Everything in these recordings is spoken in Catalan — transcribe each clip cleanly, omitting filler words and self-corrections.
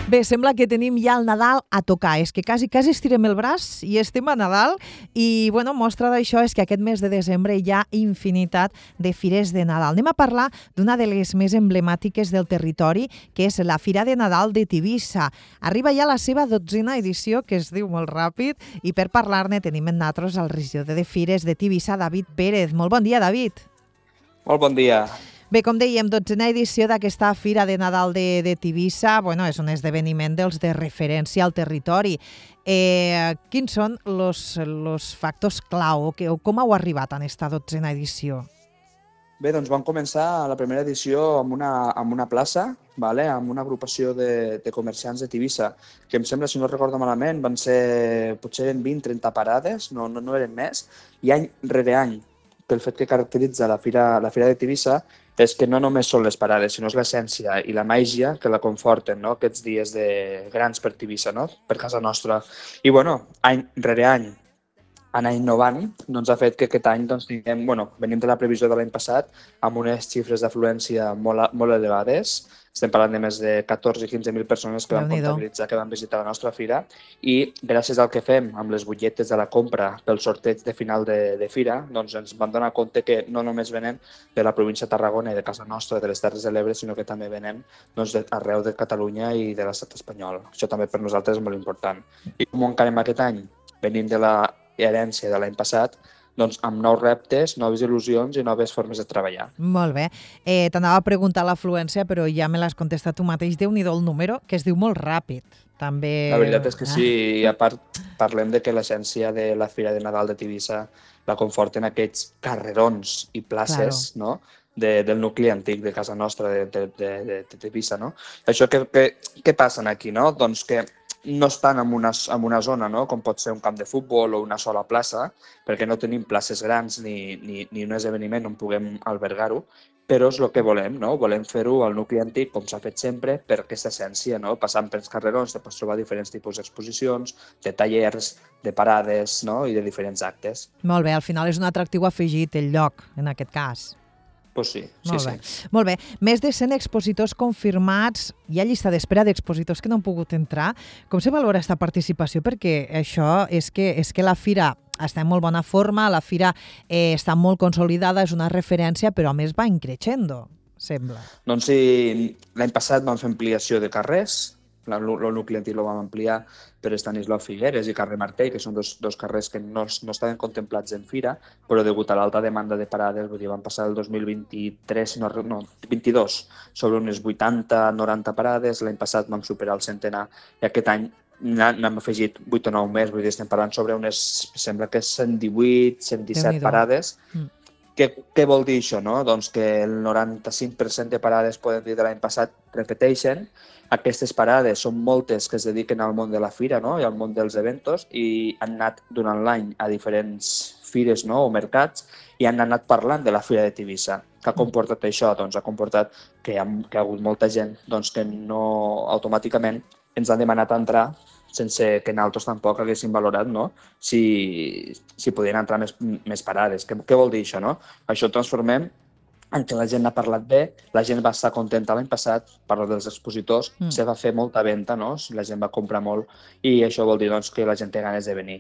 Bé, sembla que tenim ja el Nadal a tocar. És que quasi estirem el braç i estem a Nadal. I, bueno, mostra d'això és que aquest mes de desembre hi ha infinitat de fires de Nadal. Anem a parlar d'una de les més emblemàtiques del territori, que és la Fira de Nadal de Tivissa. Arriba ja la seva 12a edició, que es diu molt ràpid, i per parlar-ne tenim en nosaltres el regidor de Fires de Tivissa, David Pérez. Molt bon dia, David. Molt bon dia. Bé, com dèiem, 12a edició d'aquesta Fira de Nadal de Tivissa, bueno, és un esdeveniment dels de referència al territori. Quins són els factors clau? Com heu arribat en aquesta 12a edició? Bé, doncs vam començar la primera edició amb una plaça, amb una agrupació de comerciants de Tivissa, que em sembla, si no recordo malament, van ser potser 20-30 parades, no eren més, i any rere any, pel fet que caracteritza la Fira de Tivissa, és que no només són les parades, sinó és l'essència i la màgia que la conforten, no? Aquests dies grans per Tivissa, no? Per casa nostra. I, any rere any, anar innovant, doncs ha fet que aquest any tinguem, venim de la previsió de l'any passat amb unes xifres d'afluència molt elevades. Estem parlant de més de 14 i 15.000 persones que van comptabilitzar, que van visitar la nostra fira, i gràcies al que fem amb les butlletes de la compra pel sorteig de final de fira, doncs ens vam donar compte que no només venem de la província de Tarragona i de casa nostra, de les Terres de l'Ebre, sinó que també venem arreu de Catalunya i de l'estat espanyol. Això també per nosaltres és molt important. I com ho encarem aquest any? Venim de la herència de l'any passat, doncs amb nous reptes, noves il·lusions i noves formes de treballar. Molt bé. T'anava a preguntar l'afluència, però ja me l'has contestat tu mateix. Déu-n'hi-do el número, que es diu molt ràpid. També... La veritat és que sí, i a part parlem de que l'essència de la Fira de Nadal de Tivissa la conforten aquests carrerons i places, no?, del nucli antic de casa nostra, de Tivissa, no? Això què passa aquí, no? Doncs que no estan en una zona, no?, com pot ser un camp de futbol o una sola plaça, perquè no tenim places grans ni un esdeveniment on puguem albergar-ho, però és el que volem, no? Volem fer-ho al nucli antic, com s'ha fet sempre, per aquesta essència, no? Passant pels carrerons te pots trobar diferents tipus d'exposicions, de tallers, de parades, no?, i de diferents actes. Molt bé, al final és un atractiu afegit el lloc, en aquest cas. Pues sí. Molt bé. Més de 100 expositors confirmats. Hi ha llista d'espera d'expositors que no han pogut entrar. Com se valora aquesta participació? Perquè això és que la fira està en molt bona forma, la fira està molt consolidada, és una referència, però a més va increixendo, sembla. Doncs sí, l'any passat vam fer ampliació de carrers, el nucli antic el vam ampliar per Estanislau Figueres i carrer Martell, que són dos carrers que no estaven contemplats en fira, però degut a l'alta demanda de parades, vam passar el 2022 sobre unes 80-90 parades, l'any passat vam superar el centenar, i aquest any n'hem afegit 8 o 9 més, vull dir, estem parlant sobre unes, sembla que 118, 117 parades. Què vol dir això, no? Doncs que el 95% de parades, podem dir, de l'any passat repeteixen. Aquestes parades són moltes que es dediquen al món de la fira, no?, i al món dels eventos, i han anat durant l'any a diferents fires, no?, o mercats, i han anat parlant de la Fira de Tivissa. Què ha comportat això? Doncs ha comportat que hi ha hagut molta gent que no automàticament ens han demanat entrar sense que nosaltres tampoc haguéssim valorat, no?, si podien entrar més parades. Què vol dir això, no? Això ho transformem en què la gent ha parlat bé, la gent va estar contenta l'any passat, parlo dels expositors, se va fer molta venda, no?, la gent va comprar molt, i això vol dir que la gent té ganes de venir.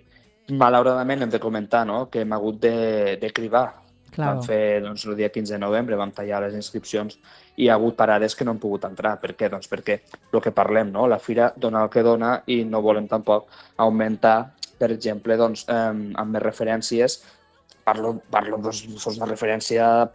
Malauradament hem de comentar, no?, que hem hagut de cribar. Vam fer el dia 15 de novembre, vam tallar les inscripcions i hi ha hagut parades que no han pogut entrar. Per què? Doncs perquè el que parlem, no?, la fira dona el que dona i no volem tampoc augmentar, per exemple, amb més referències. Parlo fos una referència,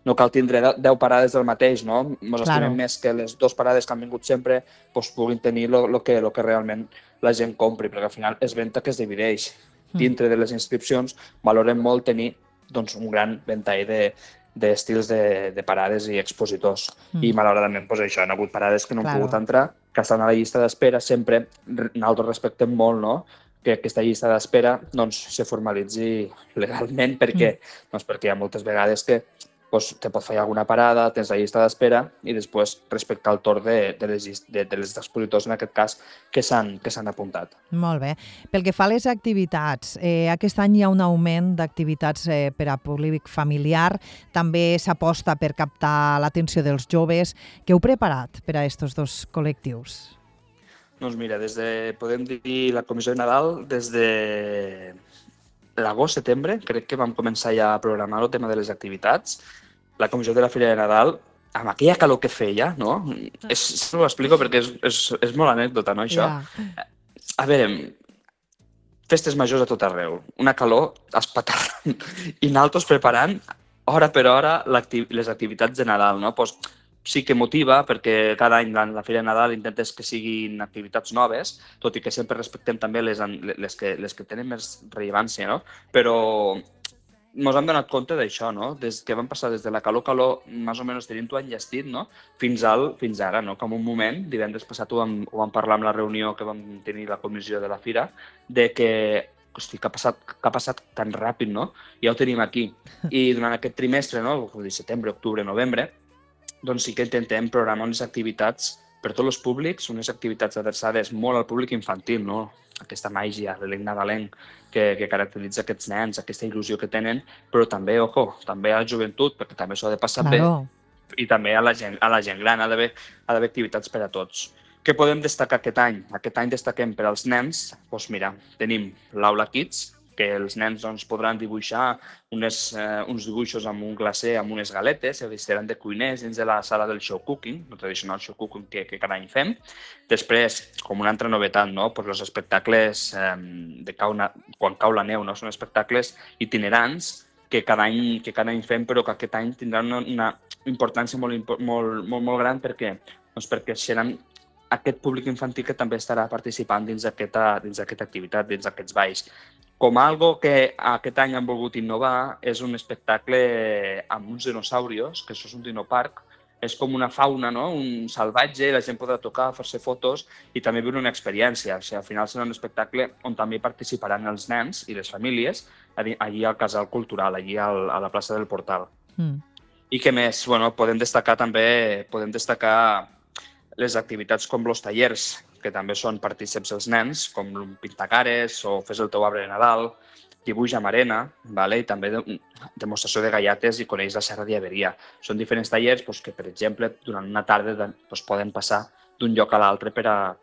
no cal tindre 10 parades del mateix, no? Ens estimem més que les 2 parades que han vingut sempre puguin tenir el que realment la gent compri, perquè al final és venda que es divideix. Dintre de les inscripcions valorem molt tenir un gran ventall d'estils de parades i expositors. I malauradament això, han hagut parades que no han pogut entrar, que estan a la llista d'espera. Sempre nosaltres respectem molt, no?, que aquesta llista d'espera se formalitzi legalment. Per què? Doncs perquè hi ha moltes vegades que te pot fallar alguna parada, tens la llista d'espera i després respectar el torn de les expositors, en aquest cas, que s'han apuntat. Molt bé. Pel que fa a les activitats, aquest any hi ha un augment d'activitats per a públic familiar, també s'aposta per captar l'atenció dels joves. Què heu preparat per a aquests dos col·lectius? Doncs mira, podem dir la comissió de Nadal, des de l'agost, setembre, crec que vam començar ja a programar el tema de les activitats. La comissió de la Fira de Nadal, amb aquella calor que feia, no? No ho explico perquè és molt anècdota, no, això? Ja. A veure, festes majors a tot arreu, una calor espaterrant i nosaltres preparant hora per hora les activitats de Nadal, no? Pues, sí que motiva, perquè cada any la Fira de Nadal intentes que siguin activitats noves, tot i que sempre respectem també les que tenen més rellevància, no? Però ens hem donat compte d'això, no? Des que vam passar des de la calor, més o menys tenint-ho enllestit, no? Fins ara, no? Com un moment, divendres passat ho vam parlar amb la reunió que vam tenir la comissió de la Fira, de que hosti, que ha passat tan ràpid, no? Ja ho tenim aquí. I durant aquest trimestre, no? Setembre, octubre, novembre, doncs sí que intentem programar unes activitats per tots els públics, unes activitats adreçades molt al públic infantil, no? Aquesta màgia, l'elenc nadalenc que caracteritza aquests nens, aquesta il·lusió que tenen, però també, també a la joventut, perquè també s'ho ha de passar bé, i també a la gent gran, ha d'haver activitats per a tots. Què podem destacar aquest any? Aquest any destaquem per als nens, doncs mira, tenim l'Aula Kids, que els nens podran dibuixar uns dibuixos amb un glacé, amb unes galetes, se vestiran de cuiners dins de la sala del show cooking, el tradicional show cooking que cada any fem. Després, com una altra novetat, no? Pues els espectacles quan cau la neu, no? Són espectacles itinerants que cada any fem, però que aquest any tindran una importància molt gran. Per què? Doncs perquè seran aquest públic infantil que també estarà participant dins d'aquesta activitat, dins d'aquests balls. Com algo que aquest any han volgut innovar és un espectacle amb uns dinosaurios, que això és un dinoparc, és com una fauna, no? Un salvatge, la gent podrà tocar, fer-se fotos i també viure una experiència. O sigui, al final serà un espectacle on també participaran els nens i les famílies allí al Casal Cultural, allí a la plaça del Portal. I què més? Bueno, podem destacar les activitats com els tallers, que també són partícips els nens, com pintacares o fes el teu arbre de Nadal, dibuix amb arena, i també demostració de gallates i coneix la Serra d'Averia. Són diferents tallers que, per exemple, durant una tarda poden passar d'un lloc a l'altre per a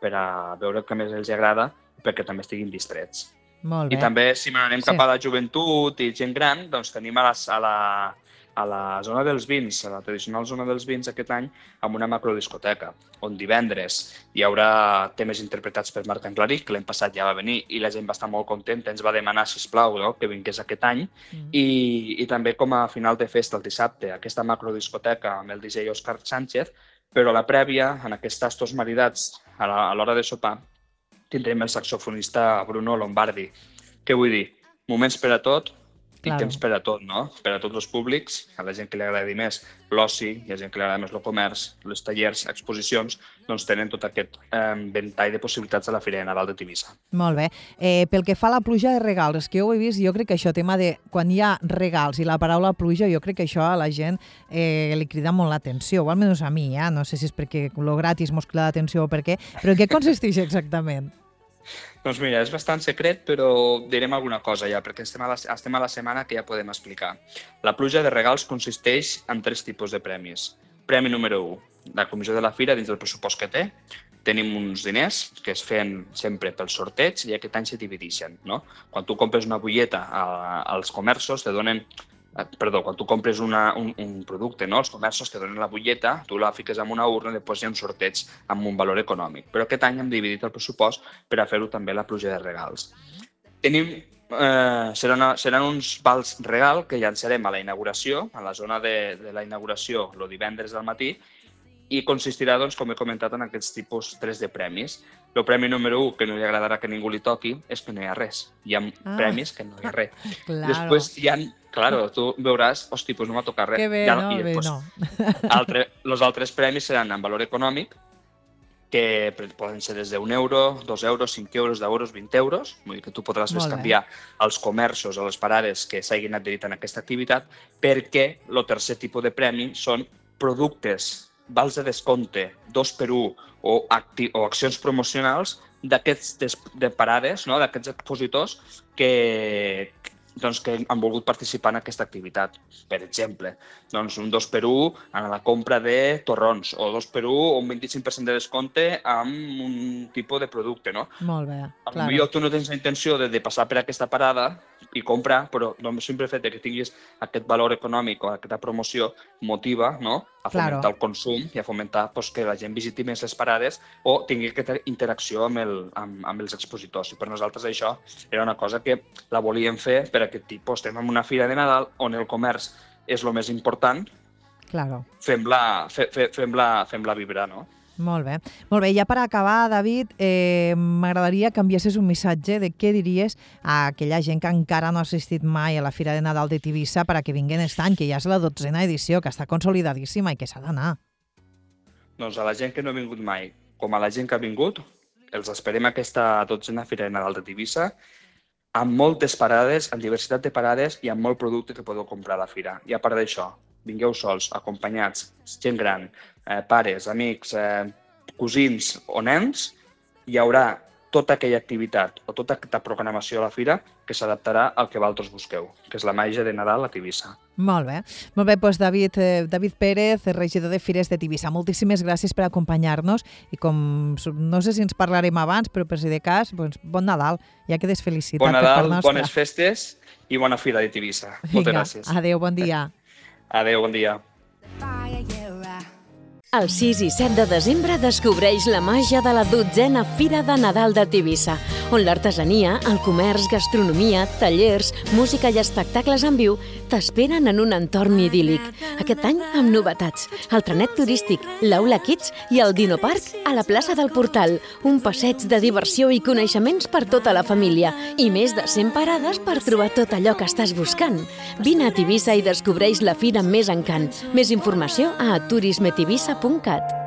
veure el que més els agrada i perquè també estiguin distrets. Molt bé. I també, si m'anem cap a la joventut i gent gran, doncs tenim a la zona dels vins, a la tradicional zona dels vins aquest any, amb una macrodiscoteca, on divendres hi haurà temes interpretats per Marc Anglaric, que l'any passat ja va venir i la gent va estar molt contenta, ens va demanar, sisplau, que vingués aquest any, i també com a final de festa el dissabte, aquesta macrodiscoteca amb el DJ Òscar Sánchez, però a la prèvia, en aquests tastos maridats, a l'hora de sopar, tindrem el saxofonista Bruno Lombardi. Què vull dir? Moments per a tot, i temps per a tot, no? Per a tots els públics, a la gent que li agradi més l'oci, i a la gent que li agrada més el comerç, els tallers, exposicions, doncs tenen tot aquest ventall de possibilitats a la Fira de Nadal de Tivissa. Molt bé. Pel que fa a la pluja de regals, que jo ho he vist, jo crec que això, tema de quan hi ha regals i la paraula pluja, jo crec que això a la gent li crida molt l'atenció, o almenys a mi, no sé si és perquè lo gratis mos crida l'atenció o per què, però en què consisteix exactament? Doncs mira, és bastant secret, però direm alguna cosa ja, perquè estem a la setmana que ja podem explicar. La pluja de regals consisteix en 3 tipus de premis. Premi número 1, la comissió de la Fira, dins del pressupost que té, tenim uns diners que es feien sempre pel sorteig i aquest any se divideixen, no? Quan tu compres una butlleta als comerços, te donen... quan tu compres un producte, no? Els comerços te donen la butlleta, tu la fiques en una urna i després hi ha un sorteig amb un valor econòmic. Però aquest any hem dividit el pressupost per a fer-ho també la pluja de regals. Seran uns vals regal que llançarem a la inauguració, a la zona de la inauguració, el divendres al matí, i consistirà, doncs, com he comentat, en aquests tipus 3 de premis. El premi número 1, que no li agradarà que ningú li toqui, és que no hi ha res. Hi ha premis que no hi ha res. Claro. Després hi ha... Claro, tu veuràs, hosti, doncs no m'ha tocat res. Que bé, ja, no? I després, els altres premis seran en valor econòmic, que poden ser des d'1 euro, 2 euros, 5 euros, 10 euros, 20 euros. Vull dir que tu podràs canviar als comerços, a les parades que s'hagin adherit a aquesta activitat, perquè el tercer tipus de premi són productes, vals de descompte, 2x1 o accions promocionals d'aquests de parades, no? D'aquests expositors que doncs, que han volgut participar en aquesta activitat. Per exemple, doncs, un 2x1 en la compra de torrons, o 2x1 o un 25% de descompte amb un tipus de producte, no? Molt bé, clar. Potser tu no tens la intenció de passar per aquesta parada i comprar, però el simple fet que tinguis aquest valor econòmic o aquesta promoció motiva, no?, a fomentar el consum i a fomentar que la gent visiti més les parades o tingui aquesta interacció amb els expositors. I per nosaltres això era una cosa que la volíem fer per aquest tipus. Estem en una fira de Nadal on el comerç és el més important, fem-la vibrar, no? Molt bé. Molt bé, ja per acabar, David, m'agradaria que enviessis un missatge de què diries a aquella gent que encara no ha assistit mai a la Fira de Nadal de Tivissa perquè vinguen aquest any, que ja és la 12a edició, que està consolidadíssima i que s'ha d'anar. Doncs a la gent que no ha vingut mai, com a la gent que ha vingut, els esperem aquesta 12a Fira de Nadal de Tivissa, amb moltes parades, amb diversitat de parades i amb molt producte que podeu comprar a la fira. I a part d'això, vingueu sols, acompanyats, gent gran, pares, amics, cosins o nens, hi haurà tota aquella activitat o tota aquesta programació a la fira que s'adaptarà al que vosaltres busqueu, que és la màgia de Nadal a Tivissa. Molt bé. Molt bé, doncs David Pérez, regidor de Fires de Tivissa, moltíssimes gràcies per acompanyar-nos i com no sé si ens parlarem abans, però per si de cas, doncs, bon Nadal, ja quedes felicitat. Bon Nadal, bones festes i bona Fira de Tivissa. Moltes gràcies. Adéu, bon dia. Adéu, bon dia. El 6 i 7 de desembre descobreix la màgia de la 12a Fira de Nadal de Tivissa, on l'artesania, el comerç, gastronomia, tallers, música i espectacles en viu t'esperen en un entorn idíl·lic. Aquest any amb novetats, el trenet turístic, l'Aula Kids i el Dinoparc a la plaça del Portal, un passeig de diversió i coneixements per tota la família i més de 100 parades per trobar tot allò que estàs buscant. Vine a Tivissa i descobreix la fira amb més encant. Més informació a turismetivissa.cat.